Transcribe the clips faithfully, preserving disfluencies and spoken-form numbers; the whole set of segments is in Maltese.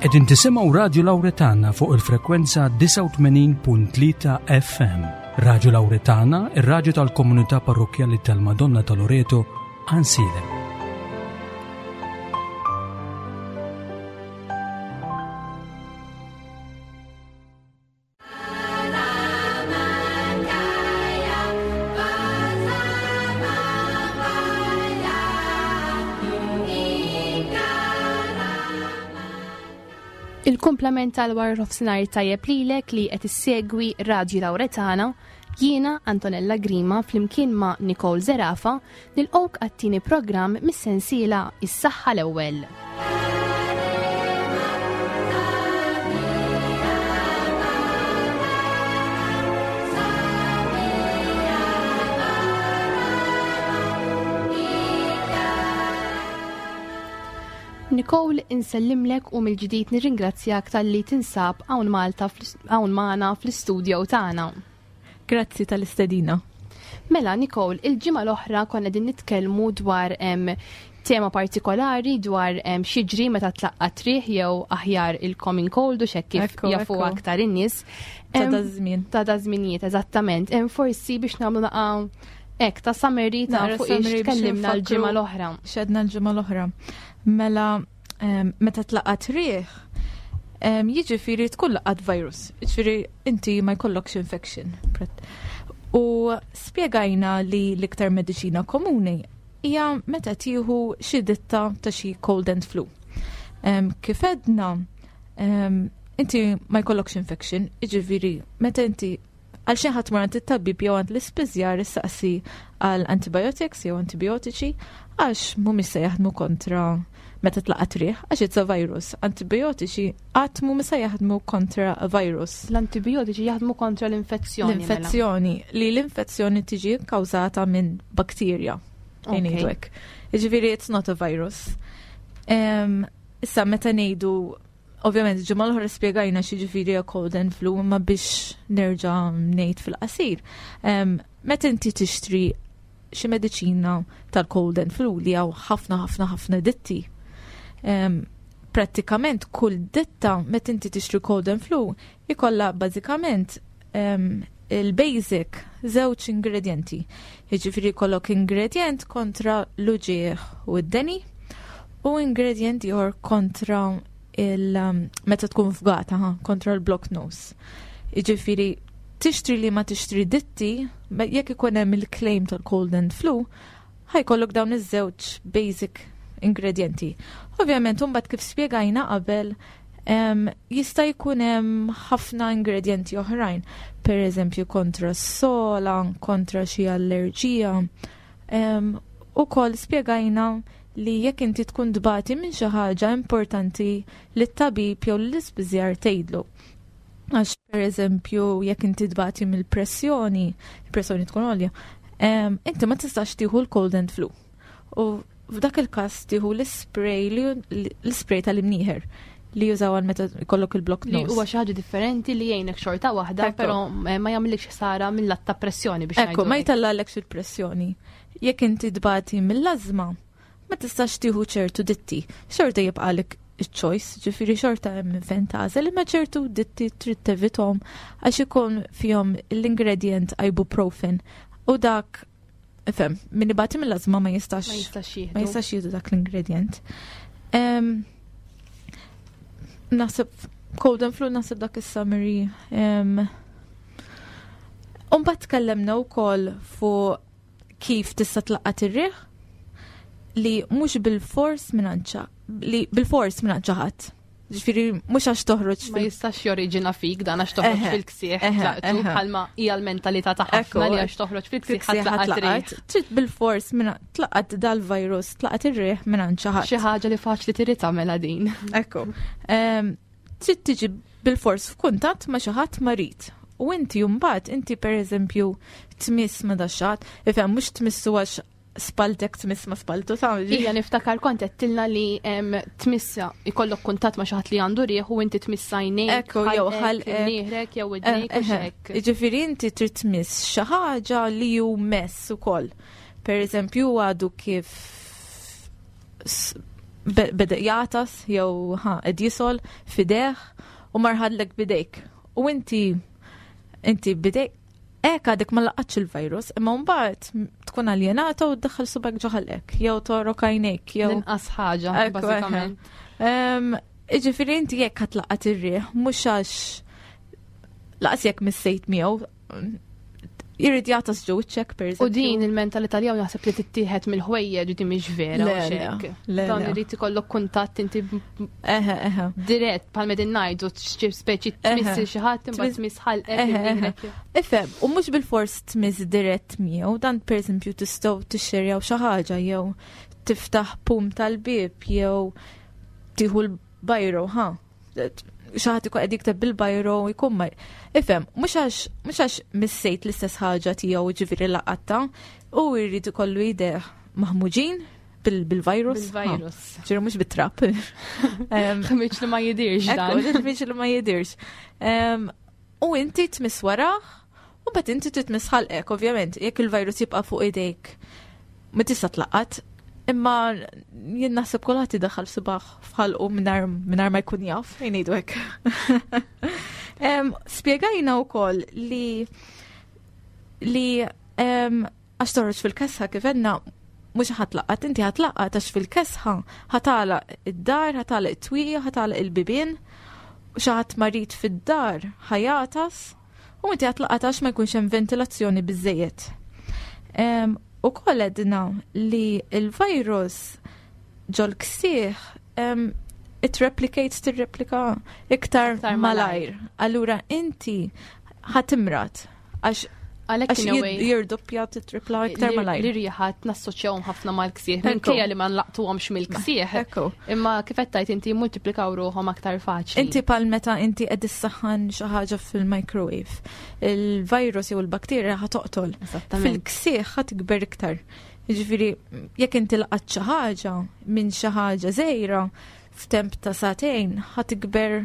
Qegħdin tisimgħu Radio Lauretana fuq il-frekwenza disgħa u tmenin punt tlieta F M. Radio Lauretana, ir-radju tal-Komunità Parrokkjali tal-Madonna ta' Loreto, Għajnsielem. Il-kumplament tal-wara nofsinhar tajjeb lilek li qed issegwi Radio Lauretana, jiena Antonella Grima flimkien ma' Nicole Zerafa nilqgħuk għat-tieni programm mis-sensiela Is-Saħħa l-Ewwel. Nicole, insellimlek u mill-ġdid nirringrazzjak tal-li tinsab hawn Malta fl-ist-, hawn magħna fl-istudio tagħna. Grazzi tal-istedina. Mela, Nicole, il-ġimgħa l-oħra konna qegħdin nitkellmu dwar, em, tema partikolari dwar, em, x'jiġri meta tlaqqat riħ jew aħjar il-common cold u x'hekk kif Ekku, jafu ekku. aktar in-nies. Ta' Em, da żmien. Ta' da żminijiet, eżattament. Em, forsi biex nagħmlu naqa' hekk ta' summary ta' Naqra fuq ix summary biex tkellimna nfakru l-ġimgħa l-oħra. X'għedna l-ġimgħa l-oħra. Mela, em, meta tlaqat riħ, em, jiġifieri tkun laqat virus. Jiġifieri inti ma jkollokx infection. U spjegajna li l-iktar mediċina komuni hija meta tieħu xi ditta ta' xi cold and flu. Em, kif għedna, em, inti ma jkollokx infection, jiġifieri meta inti għal xi ħadd mor għand it-tabib jew għand l-ispiżjar issaqsi għal antibiotics jew antibiotiċi għax mhumiex se jaħdmu kontra meta tlaqat riħ, għax it's a virus. Antibiotiċi qatt mhumiex se jaħdmu kontra virus. L-antibiotiċi jaħdmu kontra l-infezzjoni, mela. L-infezzjoni, li l-infezzjoni tiġi kkawżata minn bakterja. Ok. Ngħidu hekk. Jiġifieri it's not a virus. Em, issa meta ngħidu, ovvjament ġimgħa l-oħra spjegajna x'jiġifieri a cold and flu, imma biex nerġa' ngħid fil-qasir. Em, meta inti tixtri xi mediċina tal-cold and flu li hawn ħafna ħafna ħafna ditti. Em, prattikament kull ditta meta inti tixtri cold and flu ikollha bażikament, em, il-basic żewġ ingredienti. Jiġifieri jkollok ingredient kontra l-uġigħ u d-deni u ingredient ieħor kontra il, um, meta tkun fgata, ha, kontra l-block nose. Jiġifieri tixtri li ma tixtri ditti, ma jekk ikun hemm il-claim tal-cold and flu, ħajkollok dawn iż-żewġ basic ingredienti. Ovvjament, imbagħad kif spjegajna qabel, em, jista' jkun hemm ħafna ingredienti oħrajn, per eżempju kontra s-sola, kontra xi allerġija. Em, ukoll spjegajna li jekk inti tkun tbati minn xi ħaġa importanti li t-tabib jew l-ispiżjar tgħidlu. Għax per eżempju jekk inti tbati mill-pressjoni, il-pressjoni tkun għolja, em, inti ma tistax tieħu l-cold and flu. U f'dak il-każ tieħu l-spray li l-spray tal-imnieħer li jużaw għal meta jkollok il-block Li nose. huwa xi ħaġa differenti li jgħinek xorta waħda, Ekku. però, eh, ma jagħmilekx ħsara mill-lat ta' pressjoni biex Ekku, ngħidu ma hekk. jtellgħalekx il-pressjoni. Jekk inti tbati mill-ażma, ma tistax tieħu ċertu ditti. Xorta jibqalek il-choice, ġifieri xorta hemm inventażel, imma ċertu ditti trid tevithom għax ikun fihom l-ingredient ibuprofen u dak, ifhem, min ibati mill-ażma ma jistax Ma jistax jieħdu. ma jistax jieħdu dak l-ingredient. Em, naħseb cold and flu, naħseb dak is-summary. Em, Umbagħad tkellemna wkoll fuq kif tista' tlaqqat ir-riħ li mhux bil-fors minn ċa, li bil-fors minn xi ħadd. Ġifieri mhux għax toħroġ Ma fil- jistax joriġina fik dan għax toħroġ Eħe, fil-ksieħ eħe, tlaqtu, eħe. bħalma hija l-mentalità ta' ħafna Ekku, li għax toħroġ fil-ksieħ fil-ksieħ tlaqat riħ. tlaqat. Trid bil-fors minn tlaqat dal-virus, tlaqat ir-riħ minn xi ħadd. Xi ħaġa li faċli trid tagħmilha din. Ekku. Em, trid tiġi bil-fors f'kuntatt ma' xi ħadd marid. U inti mbagħad, inti pereżempju tmiss ma' daxxat, ifhem mhux tmissu għax spaltek tmiss ma' spaltu ta' Ija niftakar kont għedtilna li, em, tmissa ikollok kuntatt ma' xi ħadd li għandu riħ u inti tmissa għajnejk, Ekku, jew ħalqek, ħalqek. nieħrek jew idnejk u Eh, eh, x'hekk. Jiġifieri inti trid tmiss xi ħaġa li hu mess ukoll. Per eżempju għadu kif s-, Beda jagħtas jew ħa qed jisgħol f'idejh u mar ħadlek b'idejk. U inti inti b'idejk hekk għadek ma laqatx il-virus, imma mbagħad tkun aljenata u ddaħħal subgħek ġo ħalqek, jew togħrok għajnejk, jew L-inqas ħaġa, Ekku, bażikament. Em, Iġifieri inti jekk ħa tlaqqat ir-riħ, mhux għax laqas jekk missejt miegħu, jrid jagħtas ġo wiċċek per U din il-mentalità li hawn naħseb li tittieħed mill-ħwejjeġ di mhix vera Le, u xek. le, le, Dan le. irid ikollok kuntatt inti Eħe, eħe. dirett bħal medin ngħidu xi speċi tmiss Eħe. xi ħadd imbagħad Tmiss- tmiss ħalqek. Eħe, eħe. imnieħrek. Ifhem, u mhux bil-fors tmiss dirett miegħu, dan per eżempju tistgħu tixxerjaw xi ħaġa jew tiftaħ pum tal-bib jew tieħu l-bajro, ha. Xi ħadd ikun qed jikteb bil-bajro jkun ma. Ifhem, mhux għax mhux għax missejt l-istess ħaġa tiegħu ġifieri laqatta, u jrid ikollu idejh maħmuġin bil- bil-virus. Bil-virus. Ha, Ġifieri mhux bit-trab. Em, Ħmiġ li ma jidirx dan. Ekku, ħmiġ li ma jidirx. Em, U inti tmiss warah, u mbagħad inti titmiss ħalqek, ovvjament, jekk il-virus jibqa' fuq idejk, ma tista' tlaqqat. Imma jien naħseb kulħadd idaħħal subgħu f'ħalqu mingħajr mingħajr ma jkun jaf, jgħidu hekk. Em, Spjegajna wkoll li li em, għax toħroġ fil-kesħa kif għedna mhux ħa tlaqqat, inti ħa tlaqqat għax fil-kesħa ħa tagħlaq id-dar, ħa tagħlaq it-twieqi, ħa tagħlaq il-bibien, u xi ħadd marid fid-dar ħa jagħtas, u inti ħa tlaqqat għax ma jkunx hemm ventilazzjoni biżejjed. Em, U koll għedna li il-virus ġol-ksieħ em, it replicates tirreplika iktar Iktar malajr. Allura inti ħa timrad għax Għalhekk għax in a way jirdoppja titripla iktar malajr. Li riħat nassoċjawhom ħafna mal-ksieħ, Ekku. minkejja li ma nlaqtuhomx mill-ksieħ. Ekku. Imma kif qed tgħid inti multiplikaw ruħhom aktar faċli. Inti bħal meta inti qed issaħħan xi ħaġa fil-microwave. Il-virus jew il-bakterja ħa toqtol. Esattament. Fil-ksieħ ħa tikber iktar. Jiġifieri jekk inti laqat xi ħaġa minn xi ħaġa żgħira f'temp ta' sagħtejn ħa tikber.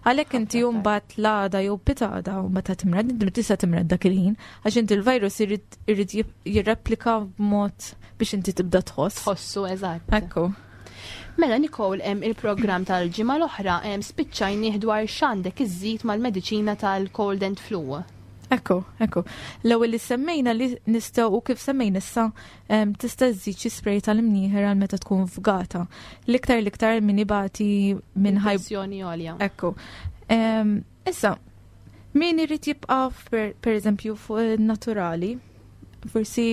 Għalhekk inti Ħafna mbagħad l-għada jew pitgħada u meta timrad, inti ma tista' timrad dak il-ħin, għax inti l-virus irid irid jirreplika b'mod biex inti tibda tħoss. Tħossu eżatt. Ekku. Mela Nicole, hemm il-programm tal-ġimgħa l-oħra hemm spiċċajnieh dwar x'għandek iżżid mal-mediċina tal-cold and flu. Ekku, ekku. L-ewwel li semmejna li nistgħu u kif semmejna issa em, tista' żżid xi spray tal-imnieħer għal meta tkun fgata. L-iktar l-iktar min ibati minn ħaj Pressjoni għolja. Ekku. Em, Issa, min irid jibqa' per, per eżempju fuq naturali, forsi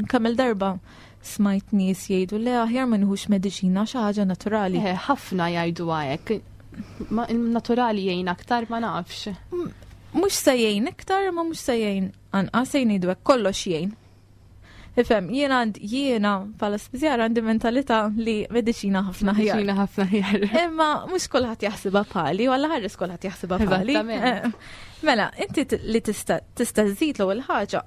kemm darba smajt nies jgħidu le aħjar ma nieħux mediċina xi ħaġa naturali. Eh, ħafna jgħidu hekk. Ma naturali jgħin aktar ma nafx. Mhux se jgħin iktar, ma mhux se jgħin anqas se jgħidu hekk kollox jgħin. Ifhem, jiena għand jiena bħala spiżjara għandi mentalità li mediċina ħafna aħjar. Mediċina ħafna aħjar. Imma mhux kulħadd jaħsibha bħali, u Alla ħares kulħadd jaħsibha bħali. Eżattament. Eh, Mela, inti t- li tista' tista' żżid l-ewwel ħaġa.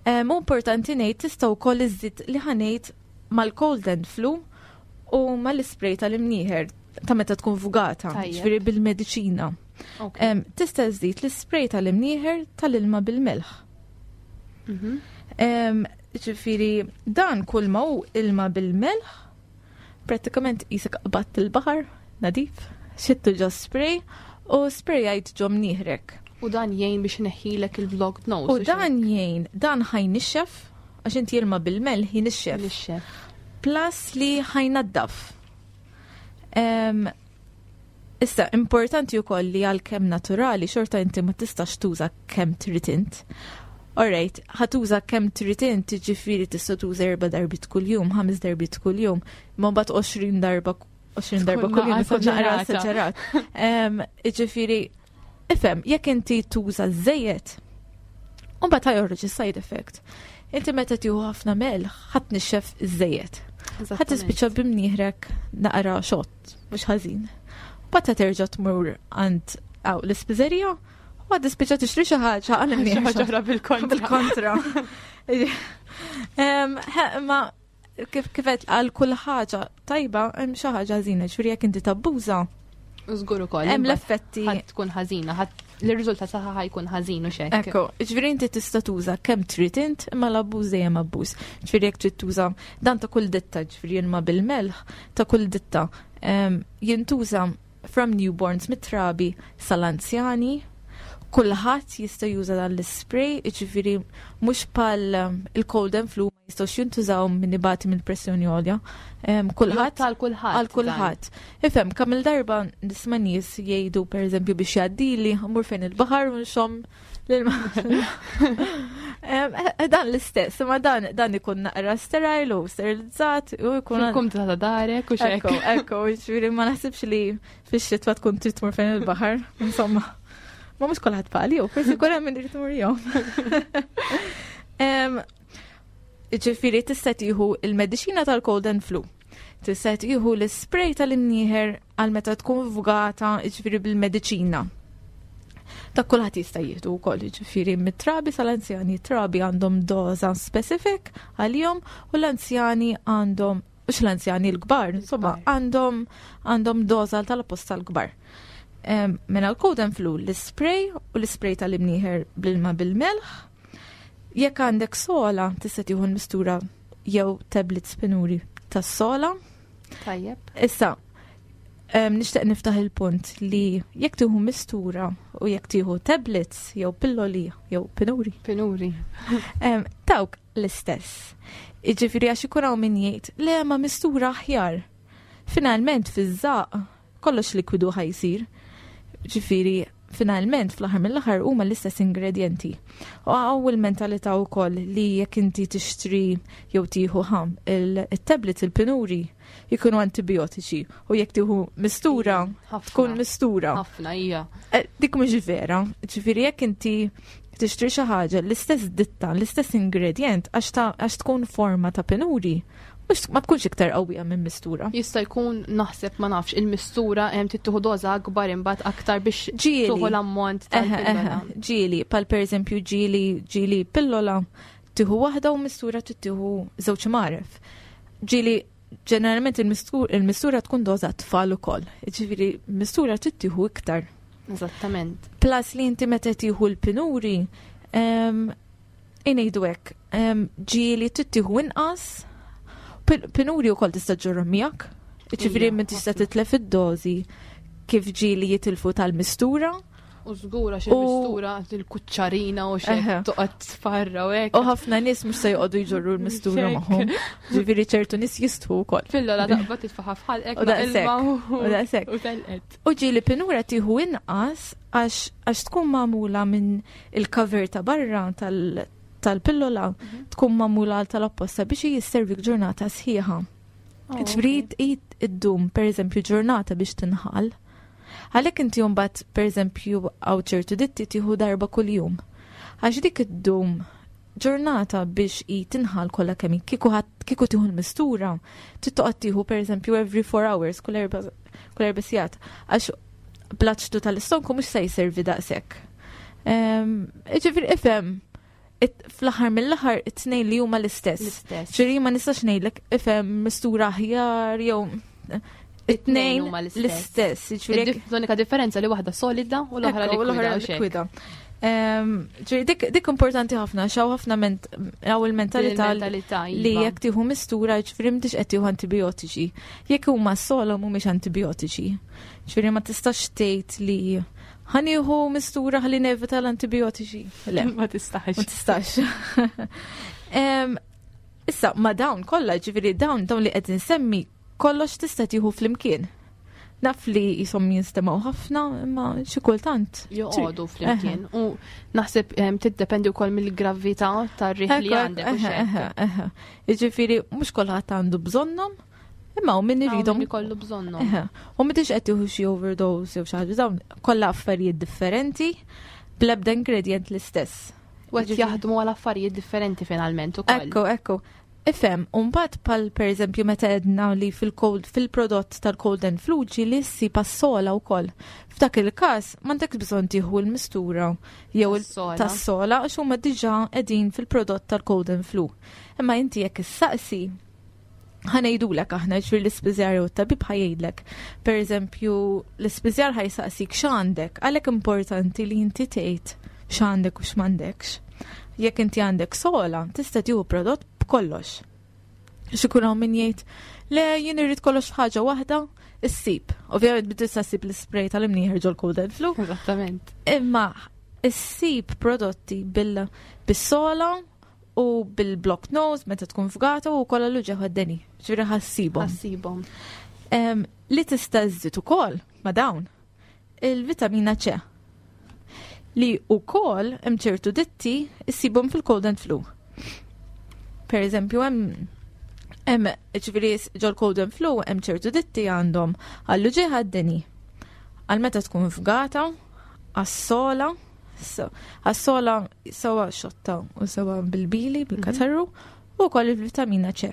eh, Mu importanti ngħid tista' wkoll iżżid li ħa ngħid mal-cold and flu u mal-ispray tal-imnieħer ta' meta tkun fugata, Tajjeb. ġifieri bil-mediċina. Ok. Em, Tista' żżid l-ispray tal-imnieħer tal-ilma bil-melħ. Mhm. Em, Ġifieri dan kull ma hu ilma bil-melħ, prattikament qisek qbadt il-baħar, nadif, xittu ġo spray u sprayajt ġo mnieħrek. U dan jgħin biex neħilek il-blocked nose. U dan jgħin, dan ħa jnixxef, għax inti ilma bil-melħ jinixxef. Nixxef. Plus li ħa jnaddaf. Em, Issa, importanti wkoll li għalkemm naturali, xorta inti ma tistax tuża kemm trid int. Alright, ħa tuża kemm trid int, ġifieri tista' tuża erba' darbiet kuljum, ħames darbiet kuljum, ma mbagħad għoxrin darba għoxrin darba Tkun kuljum naqra ikun naqra esaġerata. esaġerat. Em, Ġifieri, ifhem, jekk inti tuża żejjed, u mbagħad ħa joħroġ is-side effect. Inti meta tieħu ħafna melħ, ħa tnixxef iż-żejjed. Ħa tispiċċa b'imnieħrek naqra xott, mhux ħażin. Mbagħad terġa' tmur għand aw l-ispiżerija u għad tispiċċa tixtri xi ħaġa għal Xi ħaġa oħra bil-kontra. bil-kontra. Em, he, Ma kif kif qed għal kull ħaġa tajba hemm xi ħaġa ħażina, ġifieri jekk inti tabbuża Żgur ukoll. Hemm l-effetti. Ħadd tkun ħażina, ħadd l-riżultat saħħa ħajkun ħażin u xek. Ekku, ġifieri inti tista' tuża kemm trid int, imma l-abbuż dejjem abbuż. Ġifieri jekk trid tuża dan ta' kull ditta, ġifieri ilma bil-melħ ta' kull ditta jintuża from newborns mit-trabi sal-anzjani, kulħadd jista' juża dan l-spray, ġifieri mhux bħal il-cold and flu ma jistgħux jintużaw min ibati mill-pressjoni għolja. Kulħadd għal kulħadd. Għal kulħadd. Ifhem, kemm il-darba nisma' nies jgħidu pereżempju biex jgħaddili, mmur fejn il-baħar u nxomm l-ilma. Dan l-istess, imma dan dan ikun naqra sterile u sterilizzat u jkun. Fil-kumdità ta' darek u xek. Ekku, ekku, ġifieri ma naħsibx li fix-xitwa tkun trid tmur fejn il-baħar, insomma. Ma mhux kulħadd bħali, u forsi kull hemm min irid imur jgħum. Ġifieri tista' tieħu il-mediċina tal-cold and flu. Tista' tieħu l-spray tal-imnieħer għal meta tkun fgata, ġifieri bil-mediċina. Ta' kulħadd jista' jieħdu wkoll, ġifieri mit-trabi sal-anzjani. Trabi għandhom doża specific għalihom u l-anzjani għandhom, mhux l-anzjani l-kbar, insomma, għandhom għandhom doża tal-apposta l-kbar. Mela l-cold and flu, l-spray u l-spray tal-imnieħer bl-ilma bil-melħ. Jekk għandek sogħla, tista' tieħu l-mistura jew tablets pinuri tas-sogħla. Tajjeb. Issa, nixtieq niftaħ il-punt li jekk tieħu mistura u jekk tieħu tablets jew pilloli jew pinuri. Pinuri. Dawk l-istess. Jiġifieri għax ikun hawn min jgħid, le ma mistura aħjar. Finalment fiż-żaq kollox likwidu ħa jsir. Ġifieri finalment fl-aħħar mill-aħħar huma l-istess ingredienti. U hawn il-mentalità wkoll li jekk inti tixtri jew tieħu ħam il-tablets il-pinuri jkunu antibiotiċi u jekk tieħu mistura tkun mistura. Ħafna hija. Eh, dik mhux vera. Ġifieri jekk inti tixtri xi ħaġa l-istess ditta, l-istess ingredient għax tkun forma ta' pinuri, mhux ma tkunx iktar qawwija minn mistura. Jista' jkun naħseb ma nafx il-mistura hemm tieħu doża akbar imbagħad aktar biex tieħu l-ammont tal-pillola. Ġieli, pal pereżempju ġieli ġieli pillola tieħu waħda u mistura tieħu żewġ magħref. Ġieli ġeneralment il-mistura tkun doża tfal ukoll. Ġifieri mistura tieħu iktar. Eżattament. Plus li inti meta tieħu l-pinuri, ngħidu hekk, ġieli tieħu inqas. Pinuri u koll tista' ġorru miegħek, ġifieri min tista' titlef id-dożi kif ġieli jitilfu tal-mistura. U żgura xi mistura il-kuċċarina u xi toqgħod tfarra u hekk. U ħafna nies mhux se joqogħdu jġorru l-mistura magħhom. Ġifieri ċertu nies jistħu wkoll. Pillola taqbad titfaħa f'ħalqek u daqshekk. U daqshekk. U telqet. U ġieli pinura tieħu inqas għax tkun magħmula minn il-cover ta' barra tal- tal-pillola tkun magħmula tal-apposta biex jisservik ġurnata sħiħa. Ġifieri iddum pereżempju ġurnata biex tinħall. Għalhekk inti mbagħad pereżempju hawn ċertu ditti tieħu darba kuljum. Għax dik iddum ġurnata biex i tinħall kollha kemm kieku kieku tieħu l-mistura, trid tieħu pereżempju every four hours kull erba' kull erba' sigħat għax bl-aċtu tal-istonku mhux se jservi daqshekk. Ġifieri ifhem fl-aħħar mill-aħħar it-tnejn li huma l-istess. L-istess. Ġifieri ma nistax ngħidlek ifhem mistura aħjar jew it-tnejn huma l-istess. Ġifieri L-unika differenza li waħda solida u l-oħra likwida. Ġifieri dik dik importanti ħafna, xaw ħafna hawn il-mentalità li jekk tieħu mistura ġifieri m'intix qed tieħu antibiotiċi. Jekk huma solo mhumiex antibiotiċi. Ġifieri ma tistax tgħid li ħa nieħu mistura ħalli nevita l-antibiotiċi. Le, ma tistax. Ma tistax. Issa, ma dawn kollha, ġifieri dawn dawn li qed insemmi kollox tista' tieħu flimkien. Naf li jisom jinstemaw ħafna, imma xi kultant. Joqogħdu flimkien. U naħseb tiddependi wkoll mill-gravità tar-riħ li għandek. Jiġifieri mhux kulħadd għandu bżonnhom, imma u min iridhom ikollu bżonnhom. U m'intix qed tieħu xi overdose jew xi ħaġa, dawn kollha affarijiet differenti bl-ebda ingredient l-istess. U qed jaħdmu għal affarijiet differenti finalment ukoll. Ekku, ekku. Ifhem, u mbagħad pal pereżempju meta għedna li fil-cold fil-prodott tal-cold and flu ġieli ssib għas-sogħla wkoll. F'dak il-każ m'għandekx bżonn tieħu l-mistura jew tas-sogħla għax huma diġà qegħdin fil-prodott tal-cold and flu. Imma inti jekk issaqsi Ħa ngħidulek aħna, ġifieri l-ispiżjar u t-tabib ħa jgħidlek. Per eżempju, l-ispiżjar ħa jsaqsik x'għandek, għalhekk importanti li inti tgħid x'għandek u x'm'għandekx. Jekk inti għandek sogħla, tista' tieħu prodott b'kollox. X'ikun hawn min jgħid, "Le, jien irrid kollox f'ħaġa waħda," issib. Ovvjament bid tista' ssib l-spray tal-imnieħer ġol cold and flu. Eżattament. Imma issib prodotti bil- bis-sogħla u bil-block nose meta tkun fgata u kollha l-uġigħ għad-deni. Ġifieri ħa ssibhom. Ħa ssibhom. Em, Li tista' żżid ukoll ma' dawn il-vitamina C. Li ukoll hemm ċertu ditti issibhom fil-cold and flu. Per eżempju, hemm hemm ġifieri ġol cold and flu hemm ċertu ditti għandhom għall-uġigħ għad-deni. Għal meta tkun fgata, għas-sogħla, so- għas-sogħla sewa xotta u sewa bil-bili, bil-katarru, u wkoll il-vitamina C.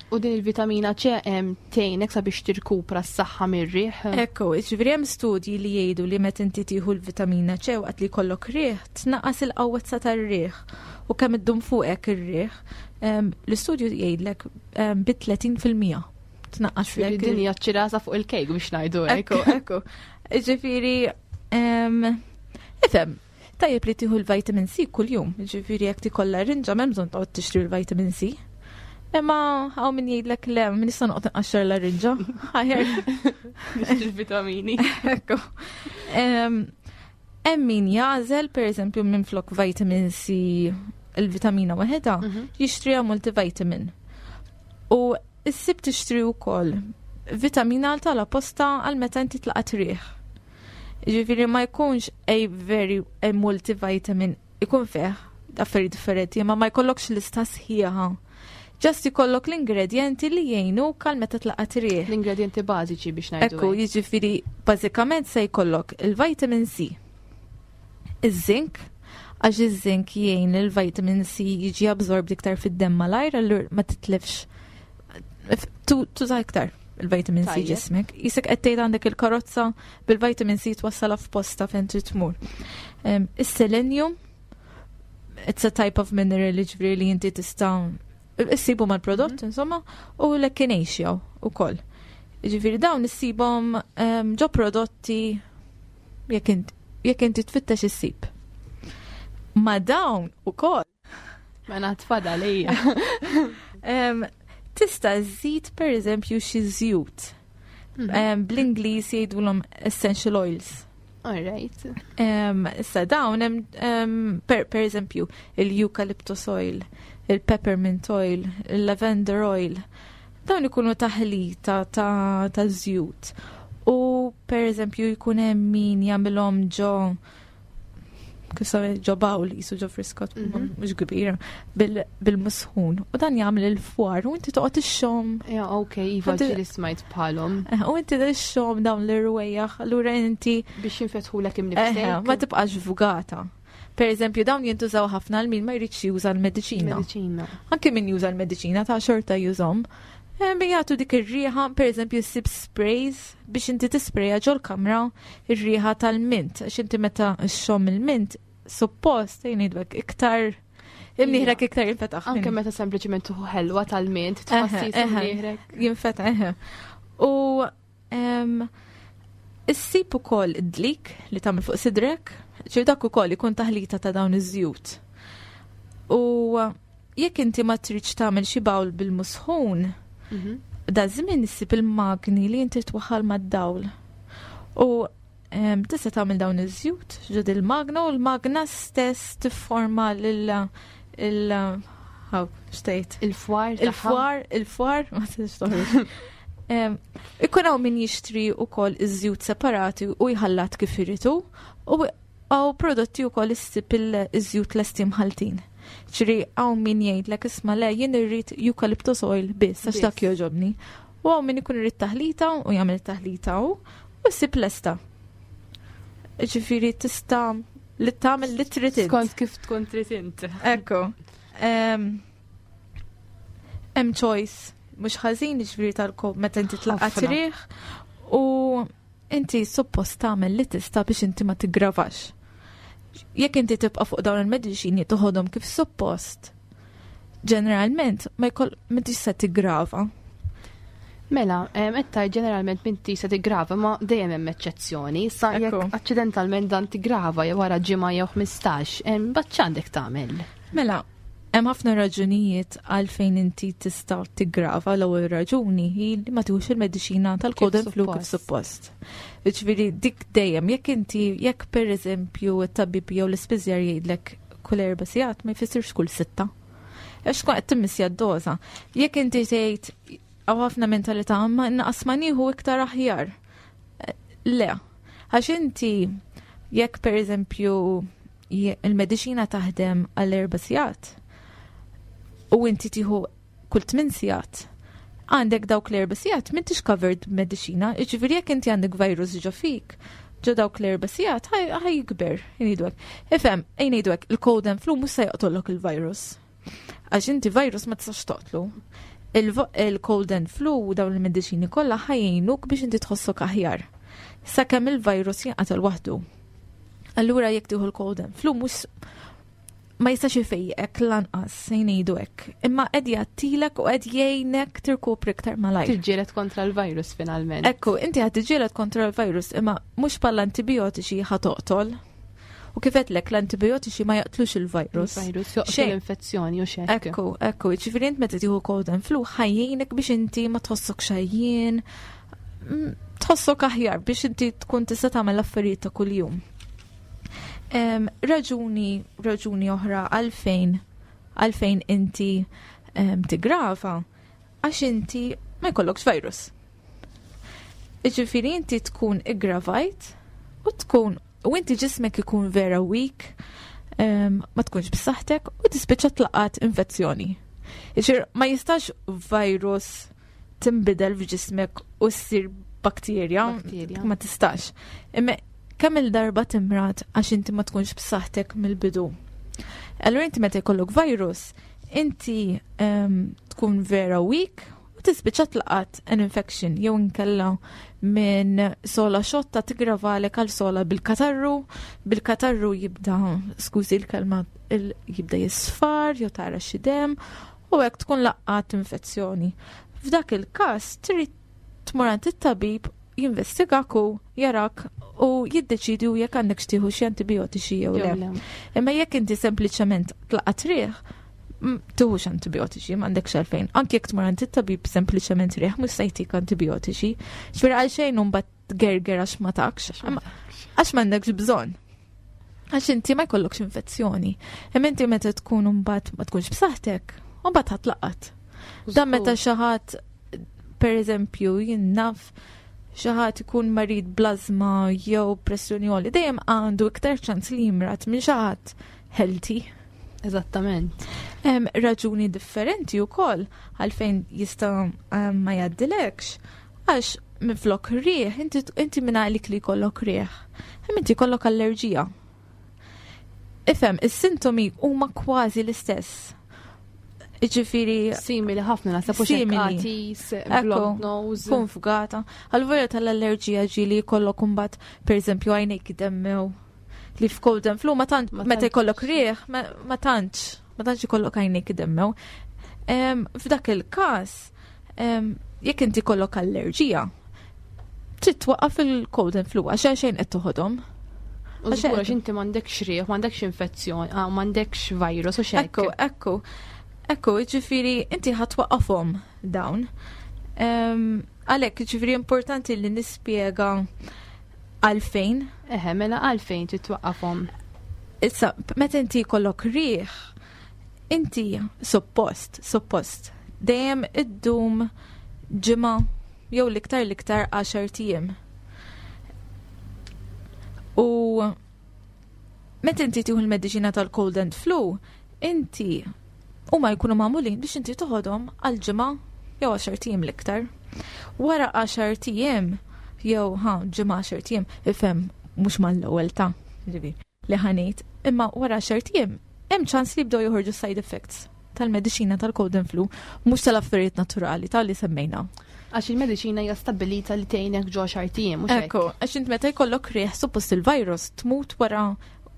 U din il-vitamina C hemm tgħinek sabiex tirkupra s-saħħa mir-riħ. Ekku, ġifieri hemm studji li jgħidu li meta inti tieħu l-vitamina C waqt li jkollok riħ, tnaqqas il-qawwezza tar-riħ u kemm iddum fuqek ir-riħ. Em, L-istudju jgħidlek em, bi tletin fil-mija tnaqqas Ġifieri lek din hija ċirasa fuq il-kejk biex ngħidu hekk. Ekku, ekku. Ġifieri, em, ifhem, tajjeb li tieħu l-vitamin C kuljum, ġifieri jekk tikollha rinġa m'hemm bżonn toqgħod tixtri l-vitamin C. Imma hawn min jgħidlek, "Le, min nista' noqgħod nqaxxar l-rinġa. Aħjar." Il-vitamini. Ekku. Em, Hemm min jagħżel, per eżempju, minn flok vitamin C il-vitamina waħedha, jixtriha multivitamin. U issib tixtri wkoll vitamina tal-apposta għal meta inti tlaqat riħ. Ġifieri ma jkunx a very a multivitamin, ikun fih affarijiet differenti, ma ma jkollokx lista sħiħa. Just ikollok l-ingredienti li jgħinu għal meta tlaqat riħ. L-ingredienti bażiċi biex ngħidu Ekku, hekk. jiġifieri bażikament se jkollok il-vitamin C, iż-zinc, għax iż-zinc jgħin il-vitamin C jiġi absorbed iktar fid-demm malajr, allura ma titlifx tu- tuża iktar il-vitamin C Tajjeb. ġismek. Qisek qed tgħid għandek il-karozza bil-vitamin C twassalha f'posta fejn trid tmur. Em, Is-selenium, it's a type of mineral, ġifieri li inti tista' issibu mal-prodott, insomma, u l-echinacea ukoll. Ġifieri dawn issibhom em, ġo prodotti jekk int- jekk inti tfittex issib. Ma dawn ukoll Mela tfadal ejja. em, tista' żżid per eżempju xi żjut. Em, Bl-Ingliż jgħidulhom essential oils. All right. Em, Issa dawn hemm em, per, per eżempju il-eucalyptus oil, il-peppermint oil, il-lavender oil. Dawn ikunu taħlita ta' ta' żjut. U per eżempju jkun hemm min jagħmilhom ġo kif sawe ġo bowl, qisu ġo friskot, Mhm. mhux kbir, bil- bil-musħun. U dan jagħmel il-fwar u inti toqgħod ixxomm. Ja, ok, iva, Inti- ġieli smajt bħalhom. Eh, U inti ixxomm dawn l-irwejjaħ, allura inti Biex jinfetħulek Eħe, imnifsek. ma tibqax fugata. Per eżempju, dawn jintużaw ħafna għal min ma jridx juża l-mediċina. Mediċina. Anke min juża l-mediċina ta' xorta jużhom. Eh, Min jagħtu dik ir-riħa, per eżempju, ssib sprays biex inti tispreja ġol-kamra ir-riħa tal-mint, għax inti meta xxomm il-mint, suppost jgħidlek iktar imnieħrek iktar jinfetaħ. Anke meta sempliċiment tieħu ħelwa tal-mint, Eħe, tħossi eħe. imnieħrek. Jinfetaħ, eħe. U em, issib ukoll id-dlik li tagħmel fuq sidrek, ċir dak ukoll ikun taħlita ta' dawn iż-żjut. U jekk inti ma tridx tagħmel xi bowl bil-musħun, Mhm. da żmien issib il-magni li inti twaħħal mad-dawl. U em, tista' tagħmel dawn iż-żjut ġod il-magna u l-magna stess tifforma lil il haw xtejt Il-fwar tagħha. il-fwar, il-fwar, ma tistax toħroġ. Em, Ikun hawn min jixtri wkoll iż-żjut separati u jħallat kif iridu u hawn prodotti wkoll issib il-żjut lesti mħaltin. Ġifieri hawn min jgħidlek, "Isma' le, jien irrid eucalyptus oil biss għax Biss. dak jogħġobni." U hawn min ikun irid taħlita u jagħmel taħlita u u ssib lesta. Ġifieri tista' li tagħmel li trid int. Skont kif tkun trid int. Ekku. Em, Hemm choice mhux ħażin, ġifieri tal-kob meta inti tlaqat Ħafna. riħ u inti suppost tagħmel li tista' biex inti ma tiggravax. Jekk inti tibqa' fuq dawn il-mediċini toħodhom kif suppost, ġeneralment ma jkoll m'intix se tiggrava. Mela, etta ġeneralment minti se tigrava, ma dejjem hemm eċċezzjoni. Sa jekk aċċidentalment dan tigrava jew wara ġimgħa jew ħmistax, mbagħad x'għandek tagħmel? Mela, hemm ħafna raġunijiet għalfejn inti tista' tiggrava. L-ewwel raġuni hi li ma tieħux il-mediċina tal-cold and flu kif suppost. Jiġifieri dik dejjem jekk inti, jekk pereżempju t-tabib jew l-ispiżjar jgħidlek kull erba' sigħat, ma jfissirx kull sitta. Għax tkun qed timmissja d-doża. Jekk inti tgħid, hawn ħafna mentalità, ma naqas ma nieħu iktar aħjar. Le, għax inti jekk pereżempju il-mediċina taħdem għall erba' sigħat u inti tieħu kull tmien sigħat, għandek dawk l-erba' sigħat m'intix covered b'mediċina, jiġifieri jekk inti għandek virus ġo fik, ġo dawk l-erba' sigħat ħa jikber, ngħidu hekk. Ifhem, ngħidu hekk, il-cold and flu mhux se joqtollok il-virus. Għax inti virus ma tistax toqtlu. Il-cold and flu u dawn il-mediċini kollha ħa jgħinuk biex inti tħossok aħjar. Sakemm il-virus jinqatel waħdu. Allura jekk tieħu l-cold and flu mhux ma jistax ifejjek lanqas, ngħidu hekk. Imma qed jagħtilek u qed jgħinek tirkupri iktar malajr. Tiġġieled kontra l-virus finalment. Ekku, inti qed tiġġieled kontra l-virus, imma mhux bħal antibiotiċi ħa toqtol. U kif għedtlek, l-antibiotiċi ma jaqtlux il-virus. Il-virus joqtol Xejn. l-infezzjoni u xek. Ekku, ekku, ġifieri int meta tieħu cold and flu ħa jgħinek biex inti ma tħossok xajjien, mm, tħossok aħjar biex inti tkun tista' tagħmel affarijiet ta' kuljum. Em, raġuni, raġuni oħra għalfejn, għalfejn inti em, tigrava, għax inti ma jkollokx virus. Ġifieri inti tkun iggravajt u tkun u inti ġismek ikun vera weak, em, ma tkunx b'saħħtek u tispiċċa tlaqat infezzjoni. Ġifieri ma jistax virus tinbidel f'ġismek u ssir bakterja, Bakterja. ma tistax. Imma kemm il-darba timrad għax inti ma tkunx b'saħħtek mill-bidu. Allura inti meta jkollok virus, inti em, tkun vera weak u tispiċċa tlaqat an infection jew inkella minn sola xotta tigravalek għal sola bil-katarru, bil-katarru jibda, skużi l-kelma, il- jibda jisfar jew tara xi dem u hekk tkun laqqat infezzjoni. F'dak il-każ trid tmur għand it-tabib, jinvestigak u jarak u jiddeċidi jekk għandek tieħu xi antibiotiċi jew Jew le. le. Imma jekk inti sempliċement tlaqat riħ, m- tieħux antibiotiċi, m'għandekx għalfejn. Anki jekk tmur għand it-tabib sempliċement riħ, mhux se jtik antibiotiċi. Ġifieri għalxejn mbagħad gerger għax ma takx, Imma għax m'għandekx bżonn. Għax inti ma jkollokx infezzjoni. Imma inti meta tkun mbagħad ma tkunx b'saħħtek, u mbagħad ħa tlaqqat. Dan meta xi ħadd, per eżempju, jien naf xi ħadd ikun marid bl-ażma jew pressjoni għolja, dejjem għandu iktar ċans li jimrad minn xi ħadd healthy. Eżattament. Hemm raġuni differenti wkoll għalfejn jista' em, ma jgħaddilekx. Għax minflok riħ, inti, inti minn għalik li jkollok riħ, hemm inti jkollok allerġija. Ifhem, is-sintomi huma kważi l-istess. Ġifieri Simili ħafna naħseb u Simili. għatis, Ekku. blocked nose. Tkun fugata. Għal-volja tal-allerġija ġieli jkollok imbagħad, per eżempju, għajnejk demmew li f'cold and flu ma tant Ma meta tantx. jkollok riħ, ma ma tantx, ma tantx ikollok għajnejk demmew. Em, F'dak il-każ, em, jekk inti jkollok allerġija, trid twaqqaf il-cold and flu għax xejn qed toħodhom. U żgur għax inti m'għandekx riħ, m'għandekx infezzjoni, ah, m'għandekx virus u xejn. Ekku, ekku. Ekku, ġifieri, inti ħa twaqqafhom dawn. Em, Għalhekk, ġifieri importanti li nispjega għalfejn. Eħe, mela għalfejn trid twaqqafhom. Issa, meta inti jkollok riħ, inti suppost, suppost, dejjem iddum ġimgħa jew l-iktar l-iktar għaxart ijiem. U meta inti tieħu l-mediċina tal-cold and flu, inti huma jkunu magħmulin biex inti toħodhom għal ġimgħa jew għaxart ijiem l-iktar. Wara għaxart ijiem jew ha ġimgħa għaxart ijiem, ifhem mhux mal-ewwel ta' ġifieri li ħa ngħid, imma wara għaxart ijiem hemm ċans li jibdew joħorġu side effects tal-mediċina tal-cold and flu, mhux tal-affarijiet naturali tal-li semmejna. Għax il-mediċina hija stabilita li tgħinek ġo għaxart ijiem mhux hekk. Ekku, għax int meta jkollok riħ suppost il-virus tmut wara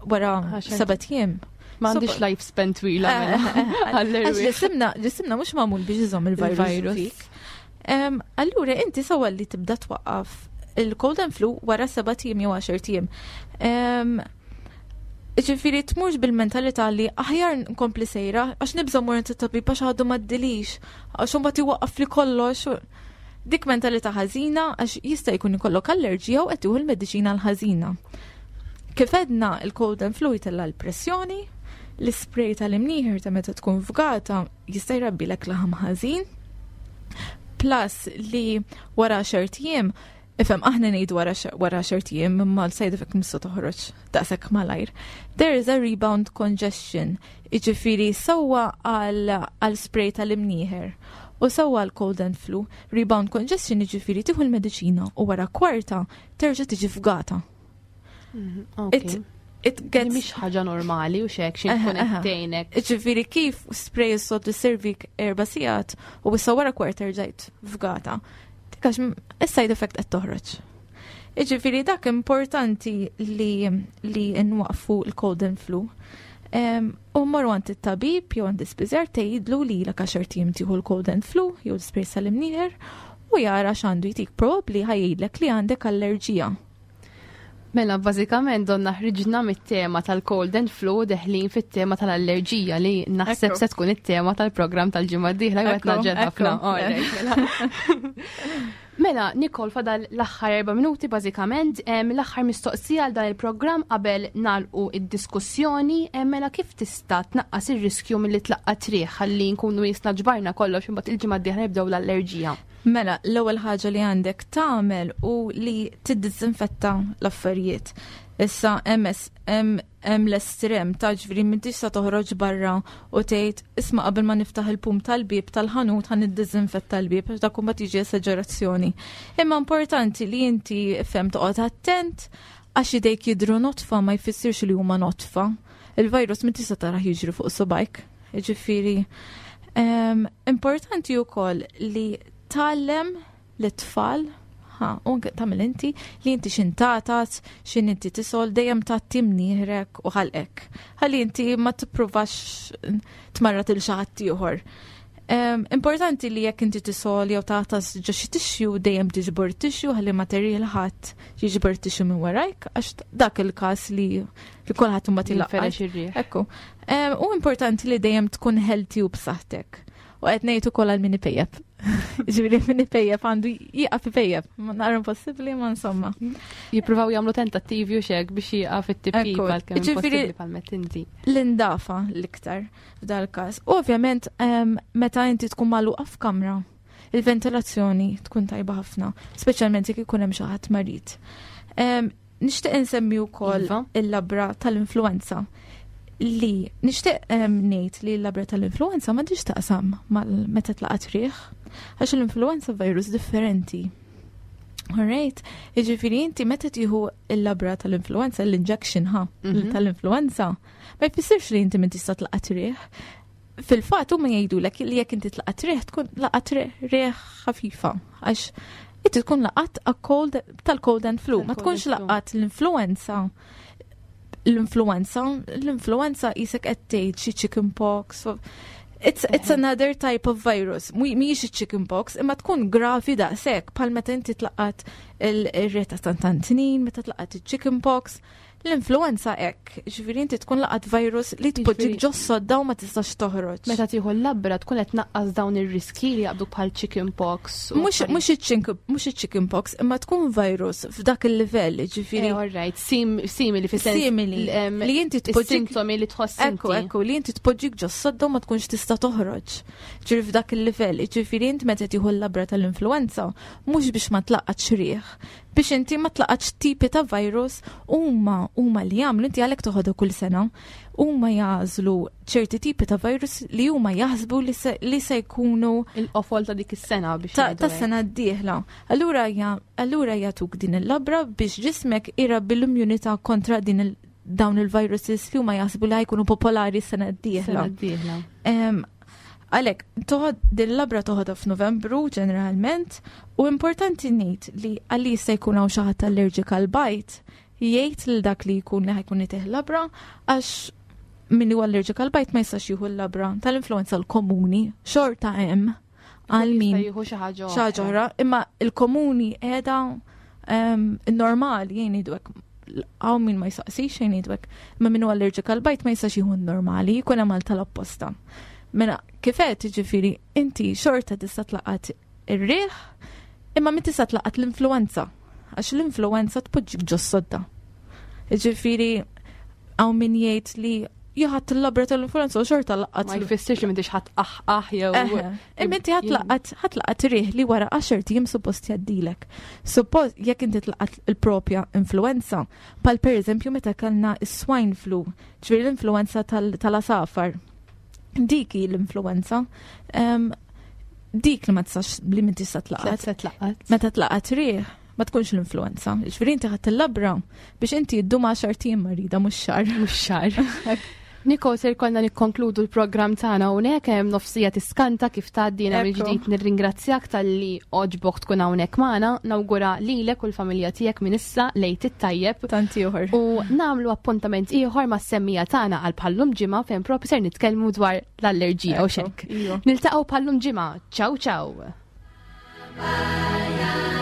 wara Għaxart sebat ijiem. M'għandix Suppo- lifespan twila Eh, mela. eh, eh, Għax Għall-erwieħ. ġisimna, ġisimna mhux magħmul biex iżomm il-virus Il-virus. fik. Allura inti sewwa li tibda twaqqaf il-cold and flu wara sebat ijiem jew għaxart ijiem. Ġifieri tmurx bil-mentalità li aħjar nkompli sejra għax nibża' mmur tabib għax għadu m'għaddilix, għax imbagħad iwaqqaf li kollox. Dik mentalità ħażina għax jista' jkun ikollok allerġija u qed tieħu l-mediċina l-ħażina. Kif għedna, il-cold and flu jtella' l-pressjoni, l-spray tal-imnieħer ta' meta tkun fgata jista' jrabbilek laħam ħażin. Plus li wara għaxart ijiem, ifhem, aħna ngħidu wara wara għaxart ijiem, imma l-side effect mhux toħroġ daqshekk malajr. There is a rebound congestion, jiġifieri sewwa għal spray tal-imnieħer u sewwa għal cold and flu. Rebound congestion jiġifieri tieħu l-mediċina u wara kwarta terġa' tiġi fgata. Mhm, it, it gets Mhix ħaġa normali u xek xi tkun qed. Ġifieri kif spray s-soltu servik erba' sigħat u issa wara kwarta rġajt fgata? Għax is-side effect qed toħroġ. Iġifieri dak importanti li li nwaqfu l-cold and flu. U morru għand it-tabib jew għand ispiżjar, tgħidlu li ilek għaxart ijiem tieħu l-cold and flu jew l-spray tal-imnieħer u jara x'għandu jtik, probabbli ħa jgħidlek li għandek allerġija. Mela, bażikament donna ħriġna mit-tema tal-cold and flu, deħlin fit-tema tal-allerġija li naħseb se tkun it-tema tal-programm tal-ġimgħa d-dieħla, qed ngħaġġel ħafna. Mela. Mela, Nicole, fadal l-aħħar erba' minuti bażikament, l-aħħar mistoqsija għal dan il-programm qabel nagħlqu id-diskussjoni, mela kif tista' tnaqqas ir-riskju milli tlaqqat riħ, ħalli nkunu jisna ġbarna kollox, imbagħad il-ġimgħa d-dieħla nibdew l-allerġija? Mela, l-ewwel ħaġa li għandek tagħmel u li tiddisinfetta l-affarijiet. Issa hemm hemm l-estrem ta' ġifieri m'intix sa toħroġ barra u tgħid, "Isma', qabel ma niftaħ il-pum tal-bib tal-ħanut ħa niddisinfetta l-bib", għax dak imbagħad tiġi esagerazzjoni. Imma importanti li inti fem toqgħod attent għax idejk jidru notfa ma jfissirx li huma notfa. Il-virus m'intix sa tarah jiġri fuq subgħajk. Ġifieri importanti wkoll li tgħallem l-tfal, ha, u anke tagħmel inti li inti x'ħin tagħtas, x'ħin inti tisgħol, dejjem tgħatti mnieħrek u ħalqek. Ħalli inti ma tippruvax tmarrad lil xi ħadd ieħor. Importanti li jekk inti tisgħol jew tagħtas ġo xi tissue, dejjem tiġbor tissue ħalli ma terri ħadd jiġbor tissue minn warajk, għax dak il-każ li li kulħadd imbagħad ilaqqat. Ekku. U importanti li dejjem tkun healthy u b'saħħtek. U qed ngħid ukoll għal min ipejjep. Ġifieri min ipejjep għandu jieqaf ipejjep. Ma nara impossibbli, ma insomma. Jippruvaw jagħmlu tentattivi u xek biex jieqaf it-tipjip għalkemm impossibbli bħalma inti. L-indafa l-iktar f'dal każ. U ovvjament meta inti tkun magħluqa f'kamra, il-ventilazzjoni tkun tajba ħafna, speċjalment jekk ikun hemm xi ħadd marid. Nixtieq insemmi wkoll iva. il-labra tal-influenza, li nixtieq ngħid li l-labra tal-influenza ma taqsam mal meta tlaqat riħ, għax l-influenza virus differenti. Alright, jiġifieri inti meta tieħu il-labra tal-influenza, l-injection ha, mhm. tal-influenza, ma jfissirx li inti min tista' tlaqat riħ. Fil-fatt huma jgħidulek li jekk inti tlaqat riħ tkun laqat riħ ħafifa, għax inti tkun laqat a cold tal-cold and flu, ma tkunx laqat l-influenza l-influenza, l-influenza qisek qed tgħid xi chicken pox. It's, it's another type of virus. Mhijiex chicken pox, imma tkun gravi daqshekk bħal meta inti tlaqat ir-re ta' Sant'Antnin, meta tlaqat il-chicken pox. L-influenza hekk, ġifieri inti tkun laqat virus li tpoġġik ġo sodda u ma tistax toħroġ. Meta tieħu l-labra tkun qed tnaqqas dawn ir-riski li jaqbdu bħal chicken pox. Mhux chicken pox, imma tkun virus f'dak il-livell, ġifieri. Eh, all right, simili fi sens. Simili. Li inti tpoġġik. Sintomi li tħoss. Ekku, ekku, li inti tpoġġik ġo sodda u ma tkunx tista' toħroġ. Ġifieri f'dak il-livell, ġifieri inti meta tieħu l-labra tal-influenza, mhux biex ma tlaqatx riħ, biex inti ma tlaqatx tipi ta' virus. Huma huma li jagħmlu, inti għalhekk toħodha kull sena, huma jagħżlu ċerti tipi ta' virus li huma jaħsbu li se, li se jkunu il-qofol ta' dik is-sena biex ta' ta' sena d-dieħla. Allura ja, allura jagħtuk din il-labra biex ġismek irabbi l-immunità kontra din il dawn il-viruses li huma jaħsbu li ħa jkunu popolari s-sena d-dieħla. Sena d-dieħla. Em, Għalek, toħod din labra toħodha f'Novembru ġeneralment, u importanti ngħid li għalli jista' jkun hawn xi ħadd allerġik għal bajd, jgħid lil dak li jkun li ħa jkun itih labra, għax min huwa allerġik għal bajd ma jistax jieħu l-labra tal-influenza l-komuni, xorta hemm Għal min Jista' jieħu xi ħaġa xi ħaġa oħra, imma il-komuni qiegħda normali jien ngħidu hekk hawn min ma jsaqsix xejn ngħidu hekk, imma min hu allergic għal bajd ma jistax jieħu normali, jkun hemm għal tal-apposta. Mela kif qed jiġifieri inti xorta tista' tlaqat ir-riħ, imma min tista' tlaqat l-influenza, għax l-influenza tpoġġik ġo sodda. Jiġifieri hawn min jgħid li ħadt il-labra tal-influenza u xorta laqat Ma jfissirx li m'intix ħadd aħ aħ jew. Eħe. Imma inti ħa tlaqat ħa tlaqat riħ li wara għaxart ijiem suppost jgħaddilek. Suppost jekk inti tlaqat il-propja influenza, pal per eżempju meta kellna is-swine flu, ġifieri l-influenza tal- tal-asafar. Dik hi l-influenza. Em, Dik li ma tistax li min tista' tlaqat. Se tlaqat. Meta tlaqat riħ, ma tkunx l-influenza. Ġifieri inti ħadt il-labra biex inti ddum għaxart ijiem marida mhux xahar. Mhux xahar. Niko, ser konna nikkonkludu l-programm tagħna hawnhekk hemm nofs siegħa tiskanta kif tgħaddi jiena Ekku. mill-ġdid nirringrazzjak talli għoġbok tkun hawnhekk magħna, nawgura lilek u l-familja tiegħek minn issa l-Għid it-tajjeb. Tant ieħor. U nagħmlu appuntament ieħor mas-semmiegħa tagħna għal bħal-lum ġimgħa fejn propju ser nitkellmu dwar l-allerġija u xek. Iva. Niltaqgħu bħal-lum ġimgħa. Ciao ciao. Bye.